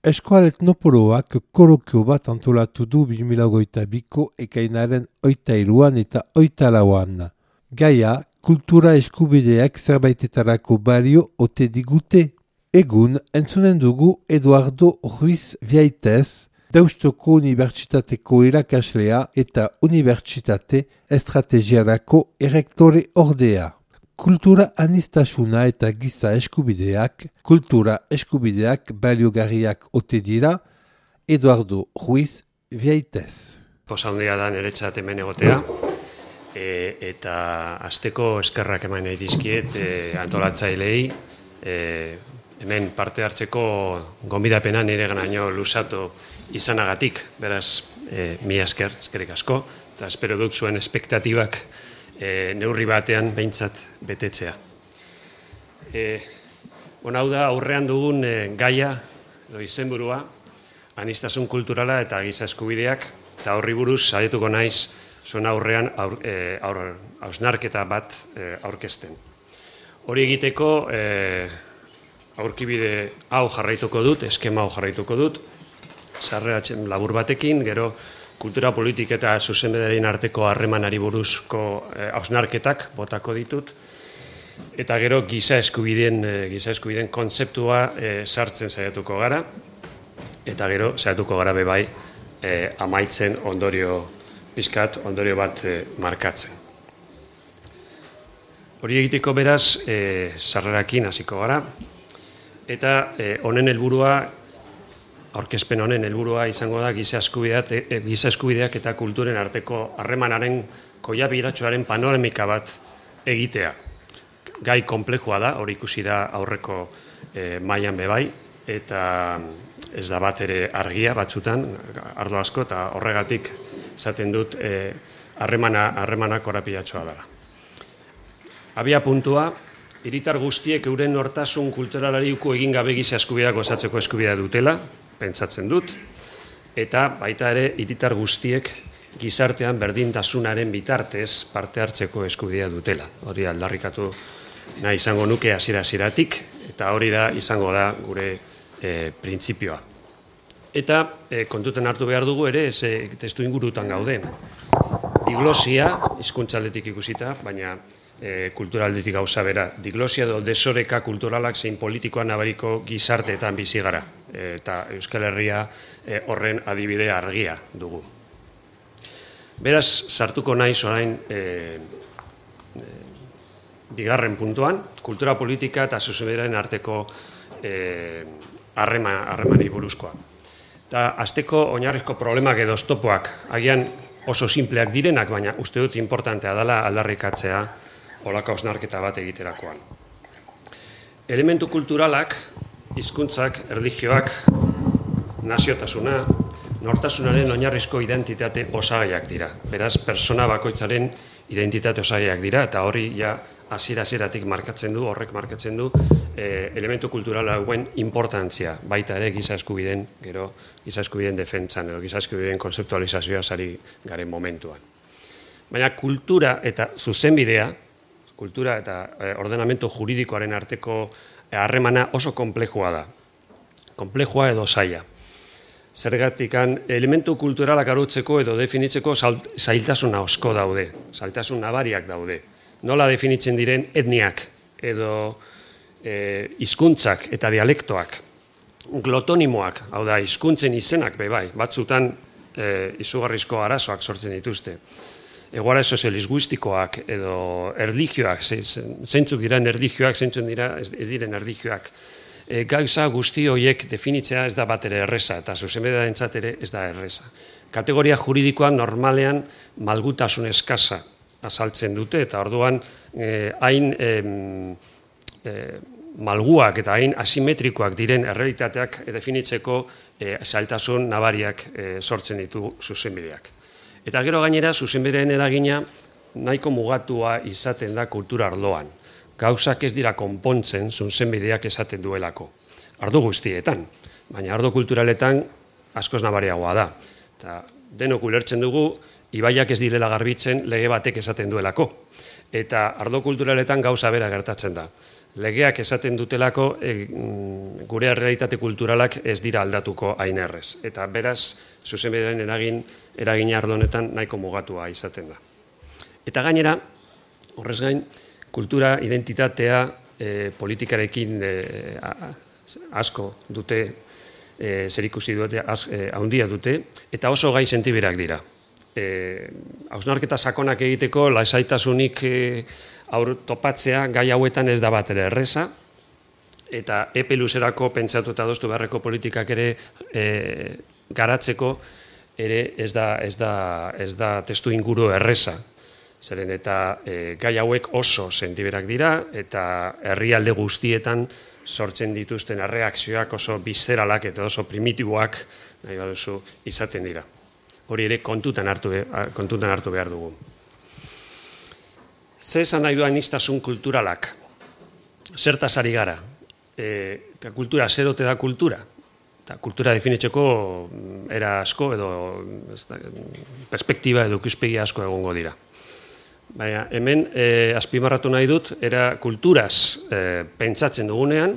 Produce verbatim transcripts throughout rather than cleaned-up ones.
Eskoal Etnopoloak kolokio bat antolatu du bi mila hogeita biko ekainaren oita hiruan eta oita lauan. Gaia, kultura eskubideak zerbaitetarako balio ote digute. Egun, entzunen dugu Eduardo Ruiz Viaitez, Deustoko Unibertsitateko irakaslea eta Unibertsitate Estrategiarako erektore ordea. Kultura anistasuna eta giza eskubideak, kultura eskubideak baliogarriak ote dira, Eduardo Ruiz Viaitez. Posa handia da niretzat hemen egotea, e, eta hasteko eskerrak eman nahi dizkiet e, antolatzailei, e, hemen parte hartzeko gonbidapena nire ganaino luzatu izanagatik, beraz, e, mi esker, eskerrik asko, eta espero duk zuen espektatibak E, neurri batean behintzat betetzea. E, Hau da, aurrean dugun e, gaia, edo izenburua, anistasun kulturala eta giza eskubideak, eta horri buruz saiatuko naiz zuen aurrean aur, e, aur, hausnarketa bat e, aurkezten. Hori egiteko e, aurkibide hau jarraituko dut, eskema hau jarraituko dut, sarreratzen labur batekin, gero kultura politik eta zuzenbidearen arteko harremanari buruzko hausnarketak botako ditut, eta gero giza eskubideen, giza eskubideen kontzeptua e, sartzen saiatuko gara, eta gero saiatuko gara bebai e, amaitzen ondorio pizkat, ondorio bat e, markatzen. Hori egiteko beraz, e, sarrerakin hasiko gara, eta e, honen helburua aurkezpen honen helburua izango da giza eskubideak, e, giza eskubideak eta kulturen arteko harremanaren koiabiratsuaren panoramika bat egitea. Gai konplexua da, hori ikusi da aurreko e, mailan bebai, eta ez da bat ere argia batzutan, ardo asko, eta horregatik esaten dut harremana e, harremana korapilatsua dela. Abia puntua, hiritar guztiek euren nortasun kulturalari uko egin gabe giza eskubideak osatzeko eskubidea dutela, pentsatzen dut, eta baita ere hiritar guztiek gizartean berdintasunaren bitartez parte hartzeko eskubidea dutela. Hori aldarrikatu nahi izango nuke hasiera-hasieratik, eta hori da izango da gure e, printzipioa. Eta e, kontuten hartu behar dugu ere, ez e, testu ingurutan gauden. Diglosia, hizkuntzaldetik ikusita, baina E, kulturaldetik gauza bera, diglosia edo desoreka kulturalak zein politikoa nabariko gizarteetan bizi gara, e, eta Euskal Herria e, horren adibide argia dugu. Beraz, sartuko naiz orain e, e, bigarren puntuan, kultura politika eta zuzenbidearen arteko harremani e, buruzkoa. Eta hasteko oinarrizko problemak edo oztopoak agian oso simpleak direnak, baina uste dut importantea dela aldarrikatzea holako hausnarketa bat egiterakoan. Elementu kulturalak, hizkuntzak, erlijioak, naziotasuna, nortasunaren oinarrizko identitate osagaiak dira. Beraz, persona bakoitzaren identitate osagaiak dira, eta hori ja hasiera-hasieratik markatzen du, horrek markatzen du, e, elementu kultural hauen importantzia, baita ere giza eskubideen, gero giza eskubideen defentsan, edo giza eskubideen konzeptualizazioa sari garen momentuan. Baina kultura eta zuzenbidea, kultura eta e, ordenamentu juridikoaren arteko harremana oso konplexua da. Konplexua edo zaila. Zergatikan elementu kulturalak arutzeko edo definitzeko zailtasuna asko daude, zailtasun nabariak daude. Nola definitzen diren etniak edo e, hizkuntzak eta dialektoak, glotonimoak, hau da, hizkuntzen izenak bebai, batzutan e, izugarrizko arazoak sortzen dituzte. Egoara soziolingüistikoak edo erlijioak, zeintzuk diren erlijioak, zeintzuk dira ez diren erlijioak. E, gauza guzti horiek definitzea ez da bat ere erreza, eta zuzenbidearentzat ere ez da erreza. Kategoria juridikoa normalean malgutasun eskasa azaltzen dute, eta orduan e, hain e, e, malguak eta hain asimetrikoak diren errealitateak definitzeko e, zailtasun nabariak e, sortzen ditu zuzenbideak. Eta gero gainera, zuzenbidearen eragina nahiko mugatua izaten da kultura arloan. Gauzak ez dira konpontzen zuzenbideak esaten duelako. Ardo guztietan, baina ardo kulturaletan askoz nabariagoa da. Eta denok ulertzen dugu, ibaiak ez direla garbitzen lege batek esaten duelako. Eta ardo kulturaletan gauza bera gertatzen da. legeak esaten dutelako gure errealitate kulturalak ez dira aldatuko hain errez. Eta beraz, zuzenbidearen eragin, eragin ardonetan nahiko mugatua izaten da. Eta gainera, horrez gain, kultura identitatea politikarekin asko dute, zerikusi dute, handia dute, eta oso gai sentiberak dira. Hausnarketa sakonak egiteko, lasaitasunik aur topatzea gai hauetan ez da bat ere erreza, eta epe luzerako pentsatu eta adostu beharreko politikak ere garatzeko ere ez da testu inguru erreza. Zeren eta gai hauek oso sentiberak dira, eta herrialde guztietan sortzen dituzten erreakzioak oso bizeralak eta oso primitiboak nahi baduzu izaten dira. Hori ere kontutan hartu behar dugu. Zer esan nahi du aniztasun kulturalak? Zertaz ari gara? Eta kultura, zer ote da kultura? Eta kultura definitzeko era asko edo perspektiba edo ikuspegi asko egongo dira. Baina hemen azpimarratu nahi dut, era kulturaz pentsatzen dugunean,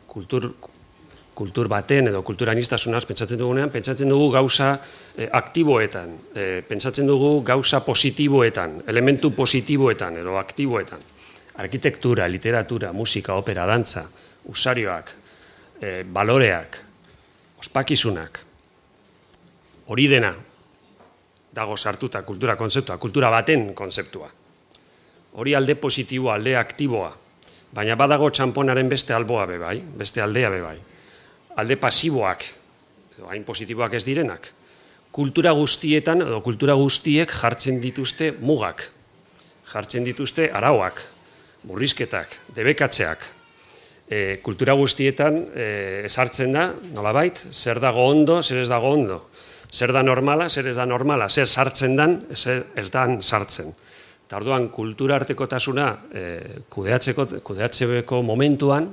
kultur baten edo kultura aniztasunaz pentsatzen dugunean, pentsatzen dugu gauza aktiboetan, pentsatzen dugu gauza positiboetan, elementu positiboetan edo aktiboetan. Arkitektura, literatura, musika, opera, dantza, usarioak, baloreak, ospakizunak, hori dena dago sartuta kultura konzeptua, kultura baten konzeptua. Hori alde positiboa, alde aktiboa, baina badago txamponaren beste alboa bebai, beste aldea bebai. Alde pasiboak, hain positiboak ez direnak, kultura guztietan edo kultura guztiek jartzen dituzte mugak, jartzen dituzte arauak, murrizketak, debekatzeak. Kultura guztietan ezartzen da, nolabait, zer dago ondo, zer ez dago ondo, zer da normala, zer ez da normala, zer sartzen dan, zer ez dan sartzen. Eta orduan, kultura artekotasuna kudeatzeko momentuan,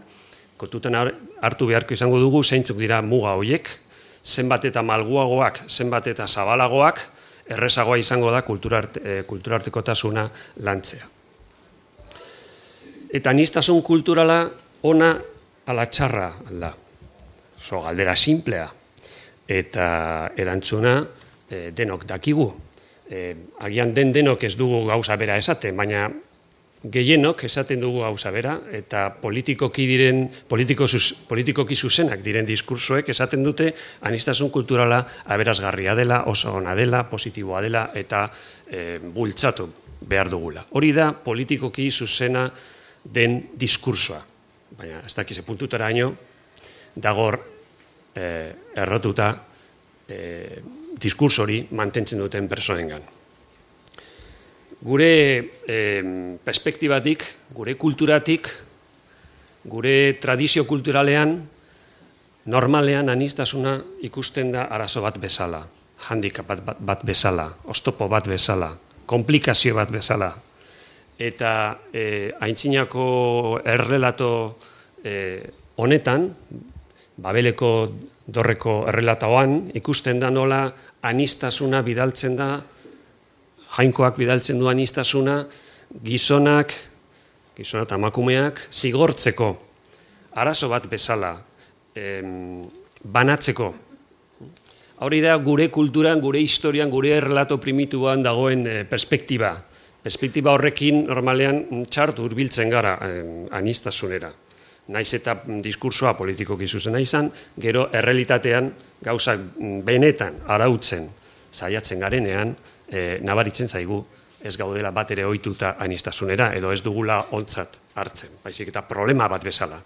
kontutan hartu beharko izango dugu zeintzuk dira muga horiek, zenbat eta malguagoak, zenbat eta zabalagoak, errezagoa izango da kultura artekotasuna lantzea. Eta aniztasun kulturala ona ala txarra da. Oso galdera simplea. Eta erantzuna denok dakigu. Agian den denok ez dugu gauza bera esaten, baina gehienok esaten dugu gauza bera, eta politikoki diren, politikoki zuzenak diren diskursoek esaten dute aniztasun kulturala aberasgarria dela, oso ona dela, positiboa dela, eta bultzatu behar dugula. Hori da politikoki zuzena den diskursoa. Baina ez dakize puntutara haino, dagor errotuta diskurso hori mantentzen duten personengan. Gure perspektibatik, gure kulturatik, gure tradizio kulturalean, normalean aniztasuna ikusten da arazo bat bezala, handicap bat bezala, oztopo bat bezala, komplikazio bat bezala. Eta aintzinako errelato honetan, Babeleko dorreko errelatoan, ikusten da nola aniztasuna bidaltzen da, jainkoak bidaltzen du aniztasuna, gizonak, gizona eta emakumeak, zigortzeko, arazo bat bezala, banatzeko. Hori da gure kulturan, gure historian, gure errelato primituan dagoen perspektiba. Perspektiba horrekin normalean txartu hurbiltzen gara aniztasunera. Naiz eta diskursoa politikoki zuzena izan, gero errealitatean gauzak benetan arautzen saiatzen garenean, nabaritzen zaigu ez gaudela bat ere ohituta aniztasunera, edo ez dugula ontzat hartzen, baizik eta problema bat bezala.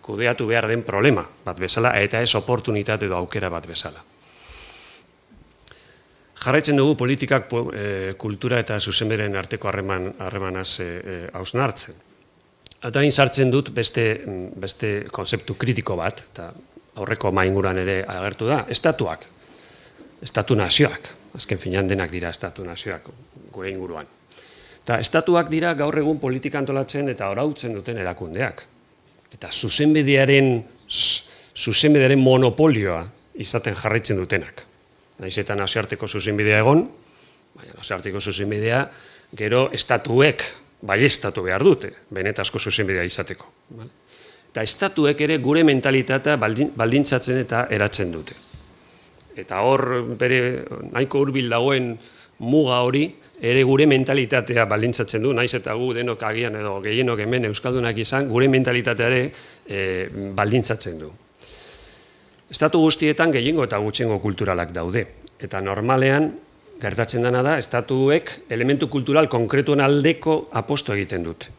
Kudeatu behar den problema bat bezala, eta ez oportunitate edo aukera bat bezala. Jarraitzen dugu politikak kultura eta zuzenberen arteko harremanaz hausnartzen. Eta hain sartzen dut beste konzeptu kritiko bat, eta aurreko mainguran ere agertu da, estatuak, estatu nazioak, azken finean denak dira estatu nazioak gure inguruan. Eta estatuak dira gaur egun politika antolatzen eta arautzen duten erakundeak. Eta zuzenbidearen monopolioa izaten jarraitzen dutenak. Naiz eta nazioarteko zuzenbidea egon, baina nazioarteko zuzenbidea gero estatuek baieztatu behar dute, benetazko zuzenbidea izateko. Eta estatuek ere gure mentalitatea baldintzatzen eta eratzen dute. Eta hor, bere nahiko hurbil dagoen muga hori, ere gure mentalitatea baldintzatzen du, naiz eta gu denok agian edo gehienok hemen euskaldunak izan, gure mentalitatea ere e, baldintzatzen du. Estatu guztietan gehiengo eta gutxiengo kulturalak daude. Eta normalean, gertatzen dena da, estatuek elementu kultural konkretuen aldeko aposto egiten dute.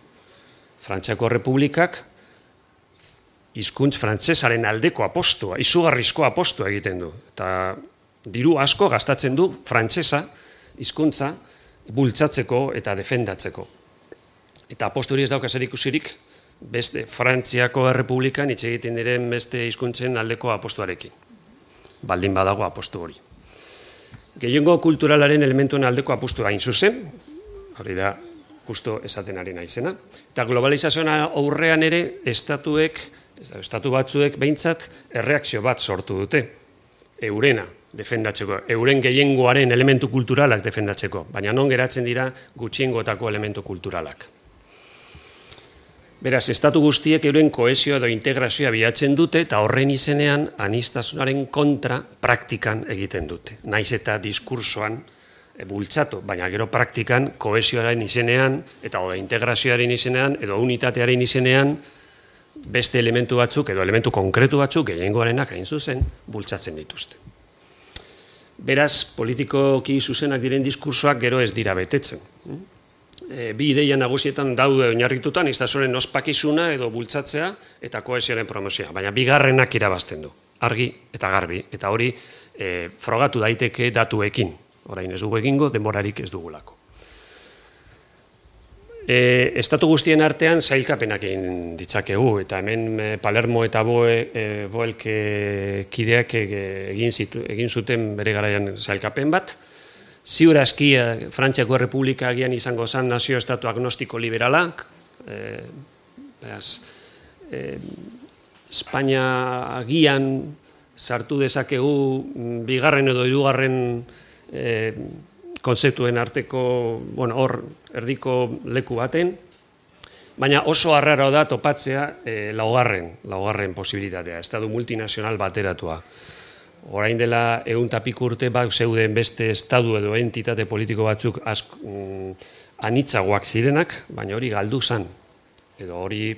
Frantziako Republikak hizkuntz frantsesaren aldeko apostoa, izugarrizko apostoa egiten du. Eta diru asko gastatzen du frantsesa hizkuntza bultzatzeko eta defendatzeko. Eta aposto hori ez dauka zer ikusirik beste Frantziako Errepublikan hitz egiten diren beste hizkuntzen aldeko apostoarekin. Baldin badago aposto hori. Gehiengo kulturalaren elementuen aldeko apostoa hain zuzen, hori da justo esaten ari naizena. Eta globalizazioan aurrean ere estatuek, estatu batzuek behintzat erreakzio bat sortu dute. Eurena defendatzeko, euren gehiengoaren elementu kulturalak defendatzeko, baina non geratzen dira gutxiengotako elementu kulturalak. Beraz, estatu guztiek euren kohesioa edo integrazioa bilatzen dute eta horren izenean aniztasunaren kontra praktikan egiten dute. Naiz eta diskursoan bultzatu, baina gero praktikan kohesioaren izenean eta oda integrazioaren izenean edo unitatearen izenean beste elementu batzuk edo elementu konkretu batzuk gehiengoarenak hain zuzen bultzatzen dituzte. Beraz, politikoki zuzenak diren diskursoak gero ez dira betetzen. E, bi ideia nagusietan daude oinarritutan, aniztasunaren ospakizuna edo bultzatzea eta kohesioaren promozioa, baina bigarrenak irabazten du, argi eta garbi, eta hori e, frogatu daiteke datuekin. Orain ez dugu egingo, denborarik ez dugulako. E, estatu guztien artean zailkapenak egin ditzakegu, eta hemen e, Palermo eta Boe, e, Boelk e, kideak e, egin, zitu, egin zuten bere garaian zailkapen bat. Ziur aski Frantziako Errepublika agian izango zen nazio estatu agnostiko liberalak, e, beraz, e, Espainia agian sartu dezakegu bigarren edo hirugarren e, konzeptuen arteko, bueno, hor erdiko leku baten, baina oso arraro da topatzea e, laugarren, laugarren posibilitatea, estatu multinazional bateratua. Orain dela ehun eta piko urte bak zeuden beste estatu edo entitate politiko batzuk ask, mm, anitzagoak zirenak, baina hori galdu zan, edo hori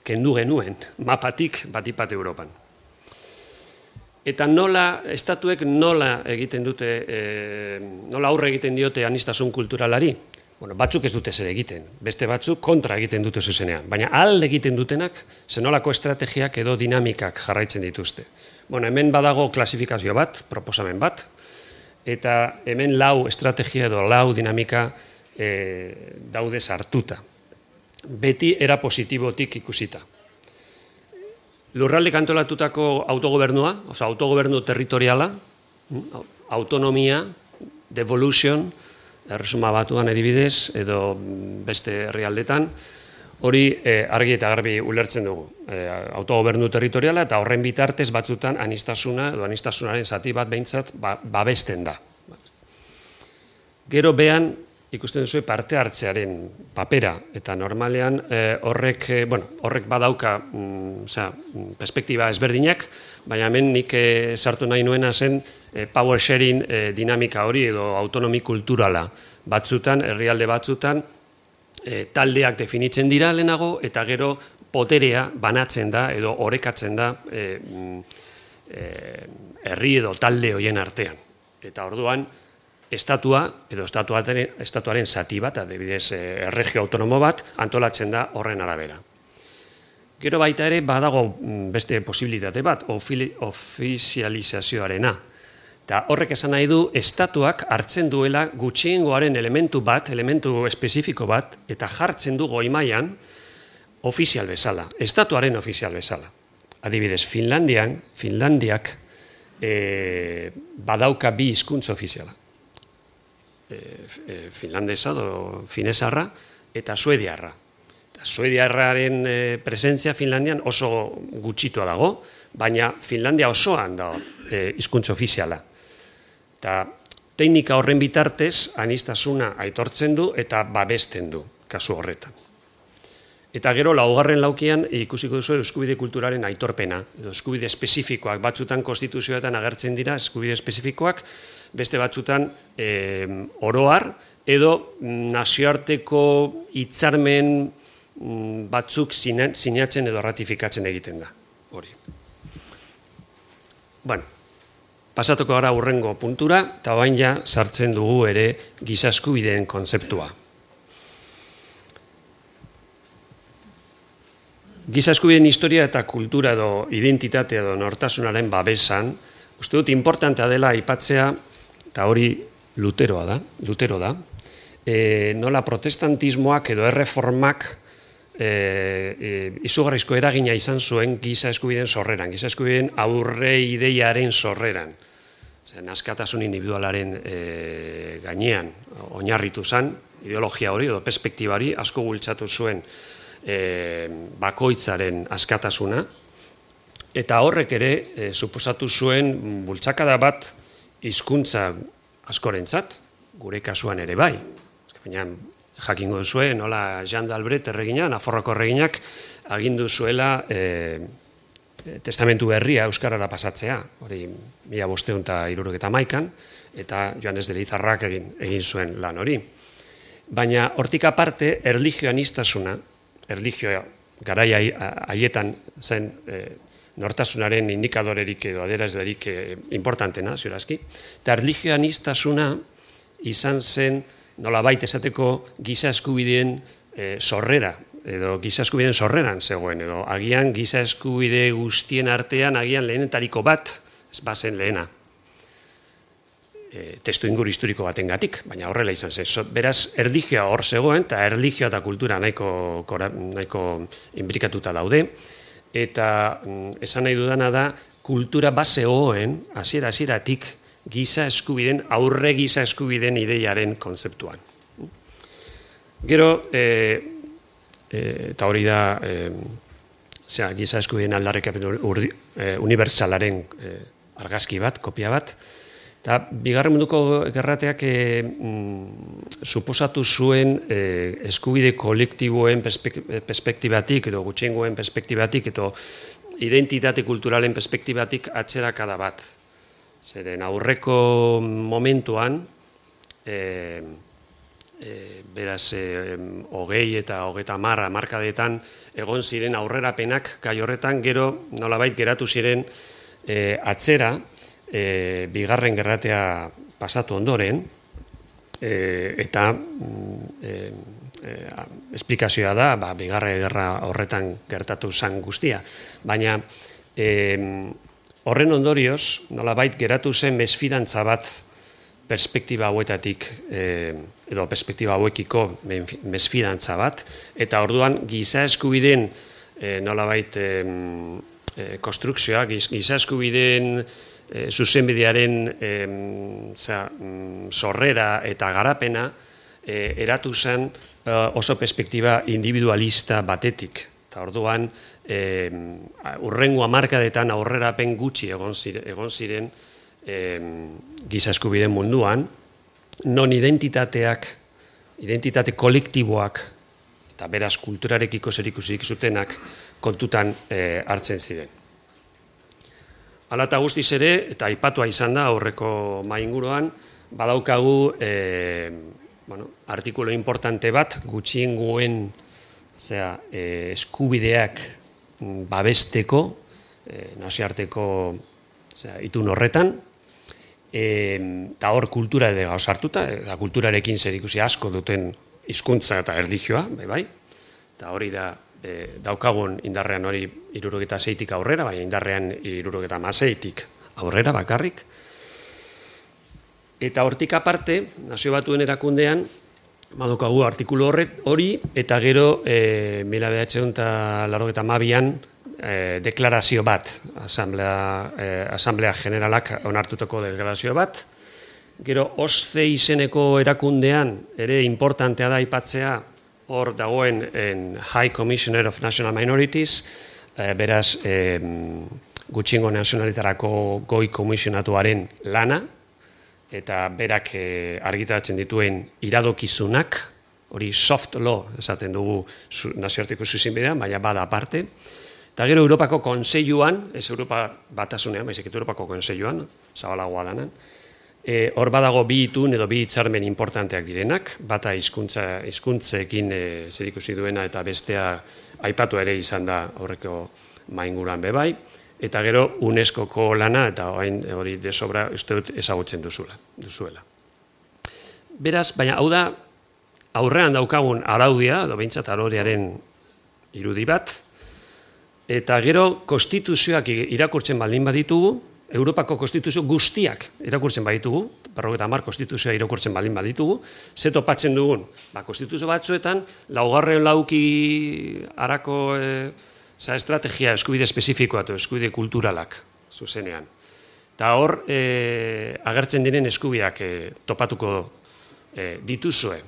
kendu genuen, mapatik batipat Europan. Eta nola, estatuek nola egiten dute, e, nola aurre egiten diote aniztasun kulturalari? Bueno, batzuk ez dute zer egiten, beste batzuk kontra egiten dute zuzenean, baina alde egiten dutenak zenolako estrategiak edo dinamikak jarraitzen dituzte. Bueno, hemen badago klasifikazio bat, proposamen bat, eta hemen lau estrategia edo lau dinamika e, daude sartuta. Beti era positibotik ikusita. Lurralde kantolatutako autogobernua, oza, autogobernu territoriala, autonomia, devolution, erresuma batuan edibidez, edo beste herrialdetan, hori eh, argi eta garbi ulertzen dugu. Eh, autogobernu territoriala eta horren bitartez batzutan anistasuna, edo anistasunaren zati bat behintzat ba, babesten da. Gero behan, ikusten duzu parte hartzearen papera, eta normalean eh, horrek, eh, bueno, horrek badauka mm, osea, perspektiba ezberdinak, baina hemen nik eh, sartu nahi nuena zen eh, power sharing eh, dinamika hori edo autonomi kulturala batzutan, herrialde batzutan, eh, taldeak definitzen dira lehenago, eta gero poterea banatzen da edo orekatzen da eh, eh, herri edo talde horien artean. Eta orduan, estatua edo estatuaren, estatuaren zati bat, adibidez erregio autonomo bat, antolatzen da horren arabera. Gero baita ere badago beste posibilitate bat, ofizializazioarena. Eta horrek esan nahi du, estatuak hartzen duela gutxiengoaren elementu bat, elementu espezifiko bat, eta jartzen du goi mailan ofizial bezala, estatuaren ofizial bezala. Adibidez, Finlandian, Finlandiak e, badauka bi hizkuntza ofiziala. E, finlandesa edo finesarra eta suediarra. Eta suediarraren e, presentzia Finlandian oso gutxitua dago, baina Finlandia osoan da e, hizkuntza ofiziala. Eta teknika horren bitartez anistasuna aitortzen du eta babesten du. kasu horretan. Eta gero, laugarren laukian ikusiko duzu eskubide kulturaren aitorpena, edo eskubide espezifikoak, batzutan konstituzioetan agertzen dira eskubide espezifikoak, beste batzutan e, oroar, edo nazioarteko hitzarmen batzuk sinatzen edo ratifikatzen egiten da. Hori. Bueno, pasatuko gara hurrengo puntura, eta bain ja sartzen dugu ere giza eskubideen kontzeptua. Giza eskubideen historia eta kultura edo identitatea edo nortasunaren babesan, uste dut importantea dela aipatzea, eta hori Luteroa da, Lutero da, e, nola protestantismoak edo erreformak e, e, izugarrizko eragina izan zuen giza eskubideen sorreran, giza eskubideen aurre ideiaren sorreran. Zen, askatasun individualaren e, gainean oinarritu zen, ideologia hori edo perspektibari asko bultzatu zuen E, bakoitzaren askatasuna, eta horrek ere e, suposatu zuen bultzakada bat hizkuntza askorentzat, gure kasuan ere bai. Baina jakingo duzue, nola Jean d'Albret erregina, Nafarroako erreginak, agindu zuela e, testamentu berria euskarara pasatzea, hori mila bostehun eta hirurogeita hamaikan, eta Joanes de Elizarrak egin, egin zuen lan hori. Baina hortik aparte, erlijioanistasuna, erlijioa garai haietan zen e, nortasunaren indikadorerik edo adierazlerik e, importantena, ziurazki, eta erlijioanistasuna izan zen nolabait esateko giza eskubideen e, sorrera, edo giza eskubideen sorreran zegoen, edo agian giza eskubide guztien artean agian lehenetariko bat, ez bazen lehena. Testu inguru historiko batengatik, baina horrela izan zen. Beraz, erlijioa hor zegoen, eta erlijioa eta kultura nahiko, nahiko inbrikatuta daude, eta esan nahi dudana da, kultura base hoen, hasiera hasieratik giza eskubideen, aurre giza eskubideen ideiaren kontzeptuan. Gero, e, e, eta hori da, e, zera, giza eskubideen aldarrikapen e, unibertsalaren e, argazki bat, kopia bat, eta bigarren munduko gerrateak e, mm, suposatu zuen e, eskubide kolektiboen perspektibatik edo gutxiengoen perspektibatik edo identitate kulturalen perspektibatik atzerakada bat. Zeren aurreko momentuan, e, e, beraz, e, hogei eta hogeita marra markadetan egon ziren aurrerapenak gai horretan, gero nolabait geratu ziren e, atzera, E, bigarren gerratea pasatu ondoren, e, eta e, e, esplikazioa da, ba, bigarren gerra horretan gertatu zan guztia. Baina e, horren ondorioz, nolabait geratu zen mesfidantza bat perspektiba hauetatik, e, edo perspektiba hauekiko mesfidantza bat, eta orduan giza eskubideen e, nolabait e, e, konstrukzioa, giza eskubideen E, zuzenbidearen e, za, sorrera eta garapena e, eratu zen e, oso perspektiba individualista batetik. Eta orduan, e, urrengo hamarkadetan aurrerapen gutxi egon ziren, egon ziren e, giza eskubideen munduan, non identitateak, identitate kolektiboak, eta beraz kulturarekiko zerikusirik zutenak kontutan e, hartzen ziren. Hala eta guztiz ere, eta aipatua izan da aurreko mahai inguruan, badaukagu e, bueno, artikulu importante bat gutxiengoen zera, e, eskubideak babesteko, e, nazioarteko zera, itun horretan, eta hor kultura ere gauzartuta, eta kulturarekin zerikusi asko duten hizkuntza eta erlijioa, bai bai, eta hori da, E, daukagun indarrean hori hirurogeta seitik aurrera, baina indarrean hirurogeta hamaseitik aurrera bakarrik. Eta hortik aparte, Nazio Batuen erakundean, badaukagu artikulu horret hori, eta gero e, mila bederatziehun eta laurogeita hamabian e, deklarazio bat, asamblea, e, asamblea generalak onartutako deklarazio bat. Gero, OSCE izeneko erakundean, ere importantea da aipatzea, hor dagoen en High Commissioner of National Minorities, eh, beraz eh, gutxiengo nazionalitarako goi komisionatuaren lana, eta berak eh, argitaratzen dituen iradokizunak, hori soft law esaten dugu nazioarteko zuzenbidean, baina bada aparte. Eta gero Europako Kontseiluan, ez Europa batasunean, baizik eta Europako Kontseiluan, zabalagoa danan, e, hor badago bi itun edo bi hitzarmen importanteak direnak, bata hizkuntza hizkuntzekin e, zerikusi duena eta bestea aipatu ere izan da horreko mainguruan bebai, eta gero UNESCOko lana eta orain hori desobra uste dut ezagutzen duzula, duzuela. Beraz, baina hau da aurrean daukagun araudia, edo behintzat araudiaren irudi bat, eta gero konstituzioak irakurtzen baldin baditugu, Europako konstituzio guztiak irakurtzen baditugu, berrogeita hamar konstituzioa irakurtzen baldin baditugu, ze topatzen dugun, ba, konstituzio batzuetan, laugarren lauki harako e, za estrategia eskubide espezifikoa eta eskubide kulturalak zuzenean. Eta hor, e, agertzen diren eskubideak e, topatuko e, dituzue.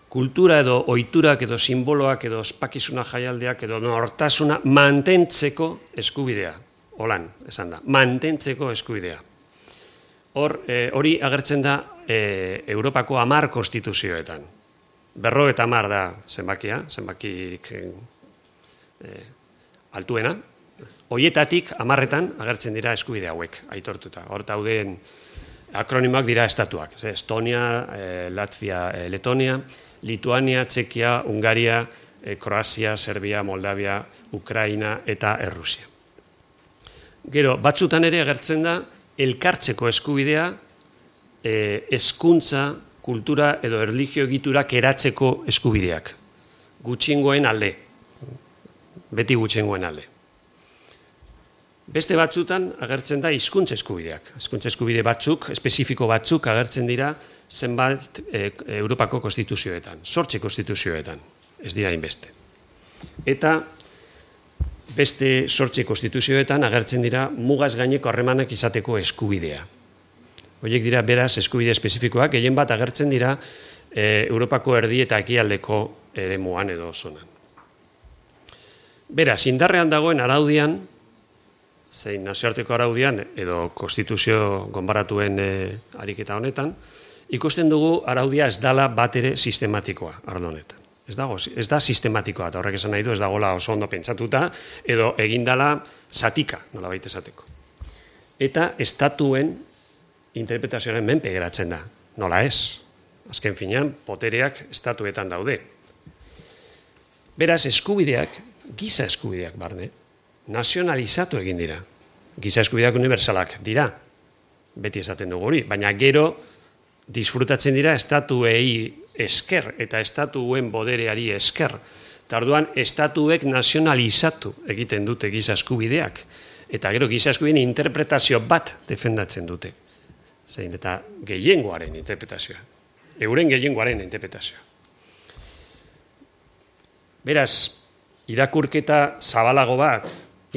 Kultura edo ohiturak edo simboloak edo ospakizuna jaialdiak edo nortasuna mantentzeko eskubidea. Holan, esan da, mantentzeko eskubidea. Hor, hori agertzen da e, Europako hamar konstituzioetan. Berro eta hamar da zenbakia, zenbakik e, altuena. Hoietatik hamarretan agertzen dira eskubide hauek, aitortuta. Hor dauden akronimoak dira estatuak. Estonia, e, Latvia, e, Letonia, Lituania, Txekia, Hungaria, e, Kroazia, Serbia, Moldavia, Ukraina eta Errusia. Gero, batzutan ere agertzen da elkartzeko eskubidea e, hezkuntza, kultura edo erlijio egiturak eratzeko eskubideak. Gutxiengoen alde. Beti gutxiengoen alde. Beste batzutan agertzen da hizkuntza eskubideak. Hizkuntza eskubide batzuk, espezifiko batzuk agertzen dira zenbat e, Europako konstituzioetan, zortzi konstituzioetan, ez dira inbeste. Eta beste zortzi konstituzioetan agertzen dira mugaz gaineko harremanak izateko eskubidea. Horiek dira beraz eskubide espezifikoak, gehien bat agertzen dira e, Europako erdi eta ekialdeko eremuan edo zonan. Beraz, indarrean dagoen araudian, zein nazioarteko araudian edo konstituzio gonbaratuen e, ariketa honetan, ikusten dugu araudia ez dala bat ere sistematikoa arlo honetan. Ez dago, ez da sistematikoa, eta horrek esan nahi du, ez dagoela oso ondo pentsatuta, edo egindala zatika, nola baita esateko. Eta estatuen interpretazioaren menpe geratzen da, nola ez. Azken finean, potereak estatuetan daude. Beraz, eskubideak, giza eskubideak barne, nazionalizatu egin dira. Giza eskubideak unibertsalak dira, beti esaten dugu hori, baina gero disfrutatzen dira estatuei esker eta estatuen bodereari esker. Eta orduan, estatuek nazionalizatu egiten dute giza eskubideak, eta gero giza eskubideen interpretazio bat defendatzen dute. Zein, eta gehiengoaren interpretazioa. Euren gehiengoaren interpretazioa. Beraz, irakurketa zabalago bat,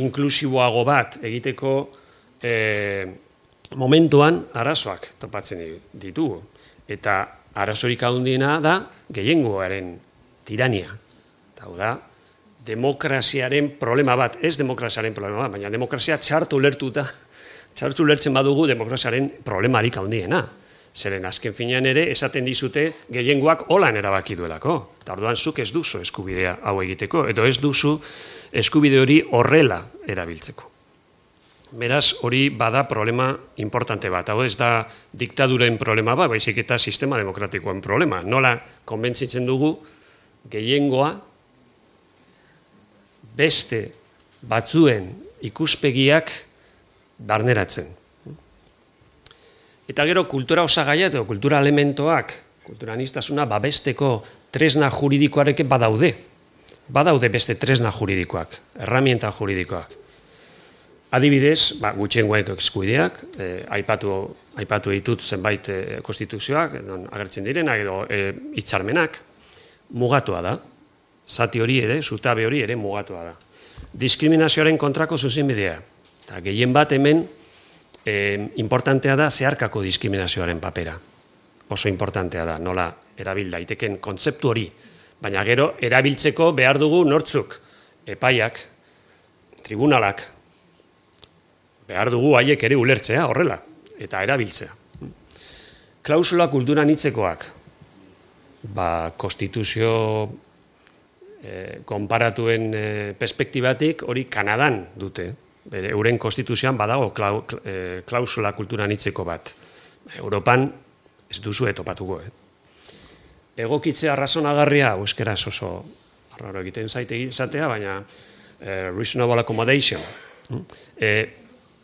inklusiboago bat egiteko e, momentuan arazoak topatzen ditugu. Eta arazorik handiena da gehiengoaren tirania. Eta hau da, demokraziaren problema bat, ez demokraziaren problema bat, baina demokrazia txartu ulertuta, txartu ulertzen badugu demokraziaren problemarik handiena. Zeren azken finean ere esaten dizute gehiengoak holan erabaki duelako. Eta orduan zuk ez duzu eskubidea hau egiteko, edo ez duzu eskubide hori horrela erabiltzeko. Beraz, hori bada problema importante bat. Hau ez da diktaduren problema bat, baizik eta sistema demokratikoen problema. Nola konbentzitzen dugu gehiengoa beste batzuen ikuspegiak barneratzen. Eta gero kultura osagaia edo kultura elementoak, kultura aniztasuna babesteko tresna juridikoarekin badaude. Badaude beste tresna juridikoak, herramienta juridikoak. Adibidez, ba, gutxiengoen eskubideak, eh, aipatu, aipatu ditut zenbait eh, konstituzioak, edo agertzen direnak, edo eh, hitzarmenak, mugatua da. Zati hori ere, zutabe hori ere mugatua da. Diskriminazioaren kontrako zuzenbidea. Eta gehien bat hemen, E, importantea da zeharkako diskriminazioaren papera. Oso importantea da, nola erabil daiteken kontzeptu hori. Baina gero, erabiltzeko behar dugu nortzuk, epaiak, tribunalak, behar dugu haiek ere ulertzea horrela, eta erabiltzea. Klausula kultura anitzekoak. ba, konstituzio konparatuen perspektibatik hori Kanadan dute. Euren konstituzioan badago klausula kultura anitzeko bat. Europan ez duzu etopatuko. Egokitzea razonagarria, euskeraz oso arraro egiten zaite izatea, baina reasonable accommodation.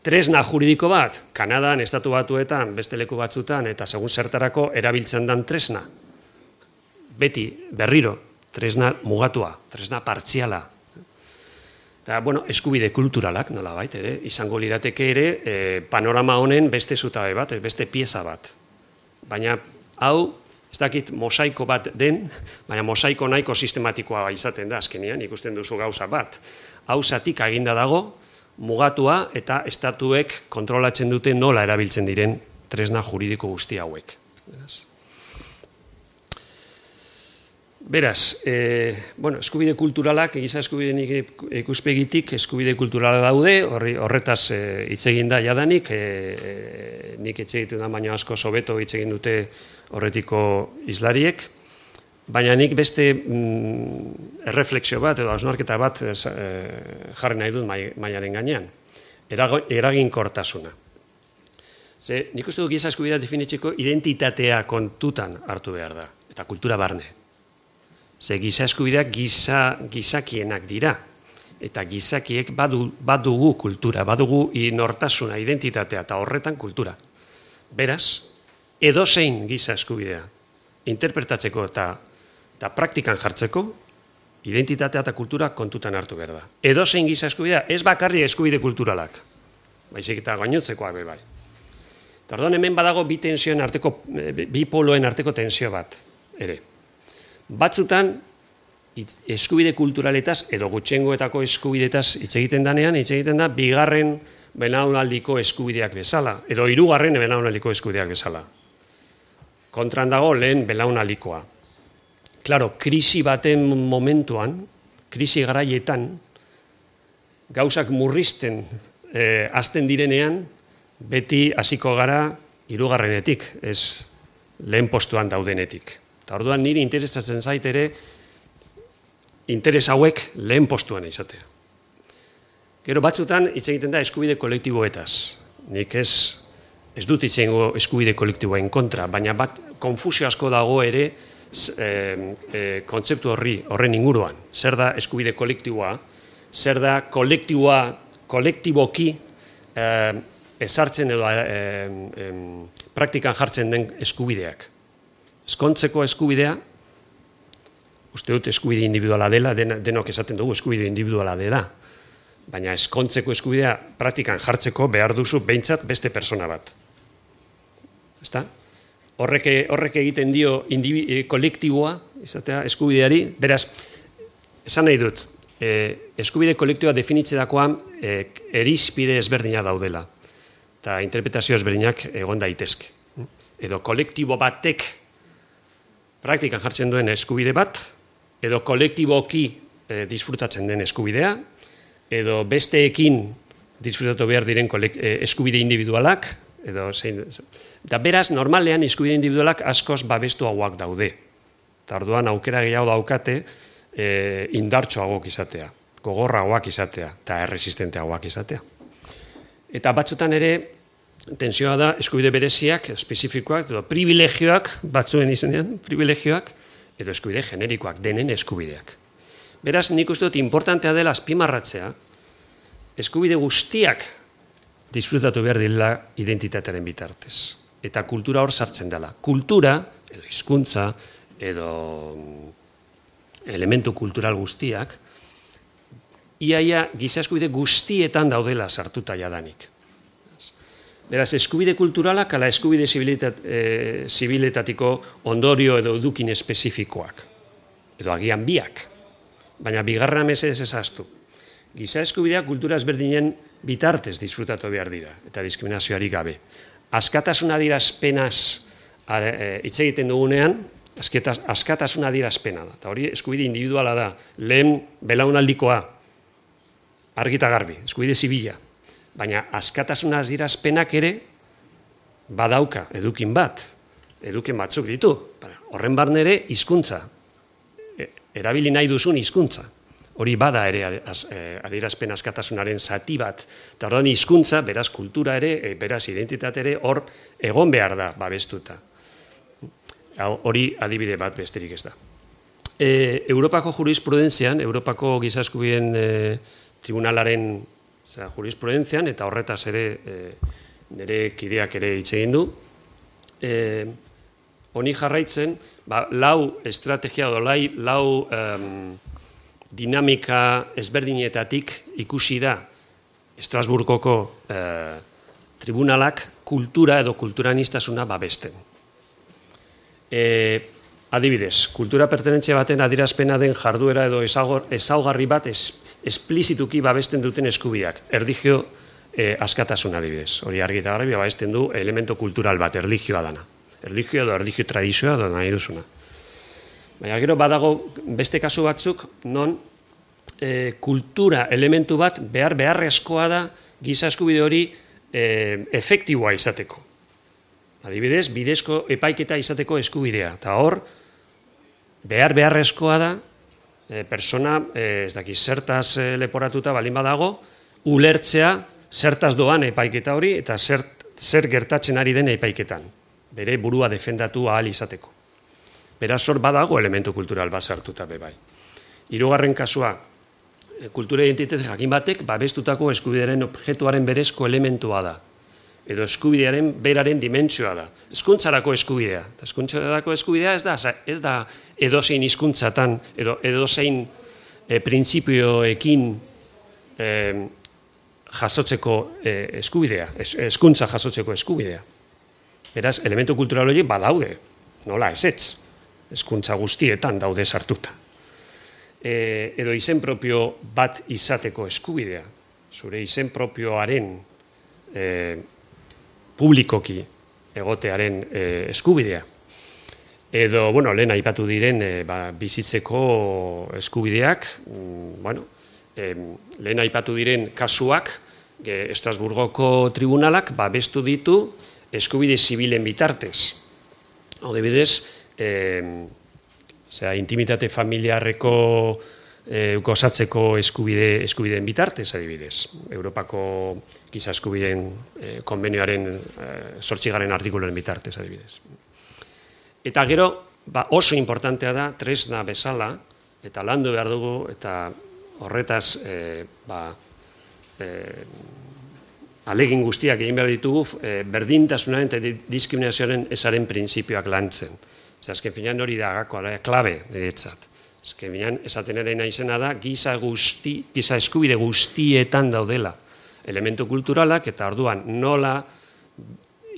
Tresna juridiko bat, Kanadan, estatu batuetan, beste leku batzutan, eta segun zertarako erabiltzen dan tresna. Beti, berriro, tresna mugatua, tresna partziala. Eta, bueno, eskubide kulturalak, nola bait, ere, izango lirateke ere, panorama honen beste zutabe bat, beste pieza bat. Baina, hau, ez dakit mosaiko bat den, baina mosaiko nahiko sistematikoa izaten da, azkenean, ikusten duzu gauza bat. Hau zatik aginda dago, mugatua eta estatuek kontrolatzen dute nola erabiltzen diren tresna juridiko guzti hauek. Beraz, eskubide kulturalak, giza eskubideen ikuspegitik eskubide kulturala daude, horretaz hitz egin da jadanik, nik hitz egiten da baino asko hobeto hitz egin dute horretiko hizlariek, baina nik beste erreflexio bat edo hausnarketa bat jarri nahi dut mailaren gainean, eraginkortasuna. Nik uste du giza eskubidea definitzeko identitatea kontutan hartu behar da, eta kultura barne. Ze giza eskubideak gizakienak dira, eta gizakiek badugu kultura, badugu nortasuna, identitatea, eta horretan kultura. Beraz, edozein giza eskubidea interpretatzeko eta praktikan jartzeko, identitatea eta kultura kontutan hartu behar da. Edozein giza eskubidea, ez bakarri eskubide kulturalak, baizik eta gainontzekoa be bai. Orduan hemen badago bi tensioen arteko, bi poloen arteko tensio bat, ere. Batzutan, eskubide kulturaletaz, edo gutxengoetako eskubideetaz hitz egiten danean, hitz egiten da, bigarren belaunaldiko eskubideak bezala, edo hirugarren belaunaldiko eskubideak bezala. Kontran dago lehen belaunaldikoa. Klaro, krisi baten momentuan, krisi garaietan, gauzak murrizten hasten direnean, beti hasiko gara hirugarrenetik, ez lehen postuan daudenetik. Eta orduan niri interesatzen zait ere interes hauek lehen postuan izatea. Gero batzutan hitz egiten da eskubide kolektiboetaz. Nik ez ez dut hitz egingo eskubide kolektiboen kontra, baina bat konfusio asko dago ere kontzeptu horri, horren inguruan. Zer da eskubide kolektiboa, zer da kolektiboa, kolektiboki ezartzen edo praktikan jartzen den eskubideak. Ezkontzeko eskubidea, uste dut eskubide individuala dela, denok esaten dugu eskubide individuala dela, baina ezkontzeko eskubidea praktikan jartzeko behar duzu behintzat beste persona bat. Ezta? Horrek egiten dio kolektiboa, izatea, eskubideari, beraz, esan nahi dut, eskubide kolektiboa definitzerakoan erizpide ezberdina daudela, eta interpretazio ezberdinak egon daitezke. Edo kolektibo batek praktikan jartzen duen eskubide bat, edo kolektiboki disfrutatzen den eskubidea, edo besteekin disfrutatu behar diren eskubide individualak, edo zein... Eta beraz, normalean eskubide individualak askoz babestuagoak daude. Eta orduan aukera gehiago daukate indartsuagoak izatea, gogorragoak izatea, eta erresistenteagoak izatea. Eta batzutan ere, tensioa da eskubide bereziak, espezifikoak, edo privilegioak, batzuen izenean, privilegioak, edo eskubide generikoak, denen eskubideak. Beraz, nik uste dut importantea dela azpimarratzea, eskubide guztiak disfrutatu behar dela identitatearen bitartez. Eta kultura hor sartzen dela. Kultura, edo hizkuntza, edo elementu kultural guztiak, iaia giza eskubide guztietan daudela sartuta jadanik. Beraz, eskubide kulturalak ala eskubide zibiletatiko ondorio edo edukin espezifikoak. Edo agian biak. Baina bigarra mesedez ezaztu. Giza eskubidea kultura ezberdinen bitartez disfrutatu behar dira, eta diskriminazioari gabe. Askatasun adierazpenaz hitz egiten dugunean, askatasun adierazpena da. Eta hori eskubide individuala da. Lehen belaunaldikoa, argita garbi, eskubide zibila. Baina askatasun adierazpenak ere badauka edukin bat, eduken batzuk ditu. Horren barne ere hizkuntza. Erabili nahi duzun hizkuntza. Hori bada ere adierazpen askatasunaren zati bat. Eta orduan hizkuntza, beraz kultura ere, beraz identitate ere, hor egon behar da babestuta. Hori adibide bat besterik ez da. Europako jurisprudentzian, Europako Giza Eskubideen Tribunalaren jurisprudentzian, eta horretaz ere nire kideak ere hitz egin du, honi jarraitzen, lau estrategia edo lau dinamika ezberdinetatik ikusi da Estrasburgoko tribunalak kultura edo kulturanistasuna babesten. Adibidez, kultura pertenentzia baten adierazpena den jarduera edo ezaugarri bat esplizituki babesten duten eskubideak. Erlijio askatasuna adibidez. Hori argi eta garbi babesten du elemento kultural bat, erlijioa dana. Erlijio edo erlijio tradizioa edo nahi duzuna. Baina gero badago beste kasu batzuk non kultura elementu bat behar beharrezkoa da giza eskubide hori efektiboa izateko. Adibidez, bidezko epaiketa izateko eskubidea. Eta hor, behar beharrezkoa da persona, ez daki, zertaz leporatuta balin badago, ulertzea zertaz doan epaiketa hori eta zer gertatzen ari den epaiketan. Bere burua defendatu ahal izateko. Beraz, hor badago elementu kultural bat sartuta bebai. Hirugarren kasua, kultura identitate jakin batek babestutako eskubidearen objektuaren berezko elementua da. Edo eskubidearen beraren dimentsioa da. Hezkuntzarako eskubidea. Hezkuntzarako eskubidea ez da, ez da edozein hizkuntzatan edo edozein printzipioekin jasotzeko eskubidea, hezkuntza jasotzeko eskubidea. Beraz, elementu kultural horiek badaude, nola ezetz. Hezkuntza guztietan daude sartuta. Edo izen propio bat izateko eskubidea. Zure izen propioaren publikoki egotearen eskubidea. Edo, bueno, lehen aipatu diren bizitzeko eskubideak, bueno, lehen aipatu diren kasuak, Estrasburgoko tribunalak babestu ditu eskubide zibilen bitartez. Adibidez, intimitate familiarreko gozatzeko eskubideen bitartez, adibidez. Europako Giza Eskubideen konbenioaren zortzigarren artikuluaren bitartez, adibidez. Eta gero, oso importantea da, tresna bezala, eta landu behar dugu, eta horretaz alegin guztiak egin behar ditugu, berdintasunaren eta diskriminazioaren ezaren printzipioak lantzen. Azken finean hori da klabe niretzat. Azken finean esaten ere naizena da giza eskubide guztietan daudela elementu kulturalak eta orduan nola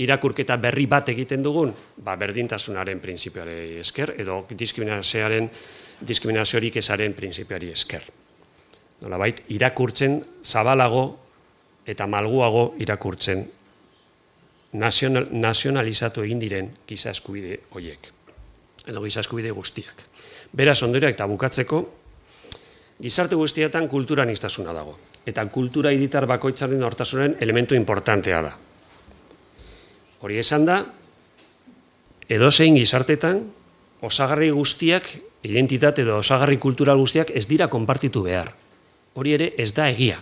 irakurketa berri bat egiten dugun, berdintasunaren printzipioari esker edo diskriminaziorik ezaren printzipioari esker. Nolabait irakurtzen zabalago eta malguago irakurtzen nazionalizatu egin diren giza eskubide horiek. Edo giza eskubide guztiak. Beraz, ondorioak eta bukatzeko, gizarte guztietan kulturanistasuna dago. Eta kultura hiritar bakoitzaren nortasunen elementu importantea da. Hori esan da, edozein gizartetan, osagarri guztiak, identitate edo osagarri kultural guztiak ez dira konpartitu behar. Hori ere ez da egia.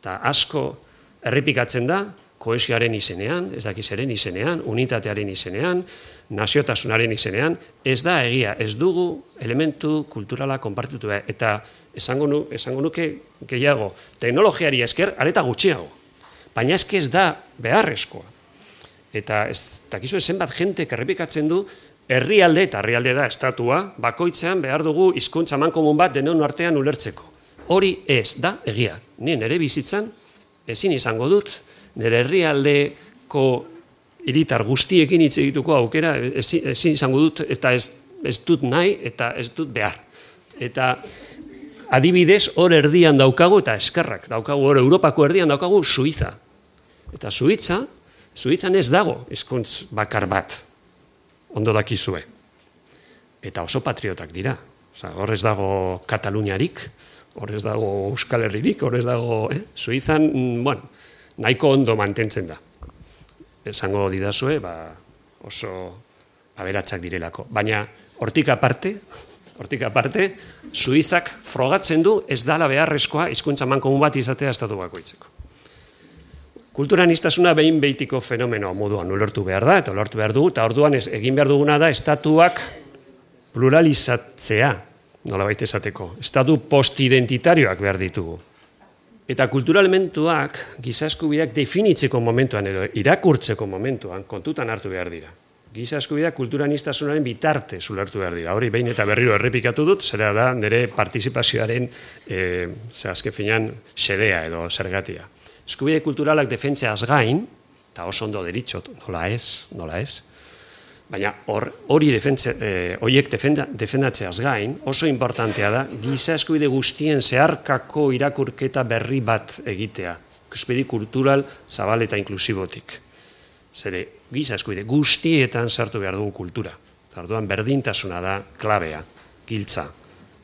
Eta asko errepikatzen da, kohesioaren izenean, ez dakizaren izenean, unitatearen izenean, naziotasunaren izenean, ez da egia, ez dugu elementu kulturala konpartitu behar. Eta esango nuke gehiago, teknologiari esker, areta gutxiago. Baina eske ez da beharrezkoa. Eta ez dakizu zenbat jentek errepikatzen du, herrialde eta herrialde da estatua, bakoitzean behar dugu hizkuntza amankomun bat denon artean ulertzeko. Hori ez da egia. Ni nire bizitzan ezin izango dut, nire herrialdeko hiritar guztiekin hitz egituko aukera ezin izango dut eta ez dut nahi eta ez dut behar. Eta adibidez hor erdian daukagu eta eskerrak daukagu, hor Europako erdian daukagu Suiza. Eta Suitza, Suitzan ez dago hizkuntz bakar bat, ondo dakizue. Eta oso patriotak dira. Hor ez dago Kataluniarik, hor ez dago Euskal Herririk, hor ez dago Suizan, bueno, nahiko ondo mantentzen da. Esango didazue, oso aberatsak direlako. Baina hortik aparte, hortik aparte, Suitzak frogatzen du ez dala beharrezkoa hizkuntza amankomun bat izatea estatu bakoitzeko. Kulturaniztasuna behin behitiko fenomeno moduan ulertu behar da, eta ulertu behar dugu, eta orduan ez, egin behar duguna da estatuak pluralizatzea, nolabait esateko. Estatu postidentitarioak behar ditugu. Eta kulturalmentuak giza eskubideak definitzeko momentuan edo irakurtzeko momentuan kontutan hartu behar dira. Giza eskubideak kulturaniztasunaren bitarte ulertu behar dira. Hori behin eta berriro errepikatu dut, zera da nire partizipazioaren e, azken finean xedea edo zergatia. Eskubide kulturalak defentzeaz gain, eta oso ondo deritxot, nola ez, nola ez, baina hori horiek defendatzeaz gain, oso importantea da, giza eskubide guztien zeharkako irakurketa berri bat egitea. Ikuspegi kultural zabal eta inklusibotik. Zere, giza eskubide guztietan sartu behar dugu kultura. Orduan berdintasuna da klabea, giltza.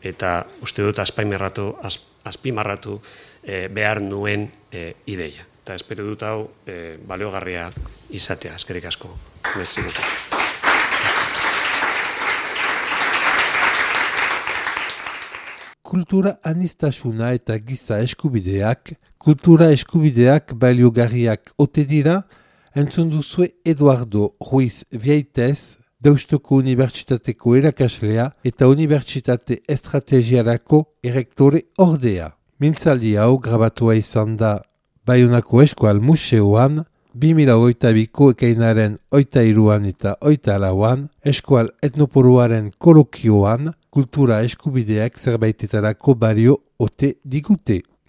Eta uste dut azpimarratu, azpimarratu behar nuen ideia. Eta espero dut hau baliogarria izatea, eskerrik asko. Kultura aniztasuna eta giza eskubideak, kultura eskubideak baliogarriak ote dira, entzun duzue Eduardo Ruiz Vieites, Deustuko Unibertsitateko erakaslea eta Unibertsitate Estrategiarako erektore ordea. Mintzaldi hau grabatua izan da Baionako Eskual Museoan, bi mila hogeita biko ekainaren hogeita hiruan eta hogeita lauan, Eskual Etnoporoaren kolokioan, kultura eskubideak zerbaitetarako balio ote digute.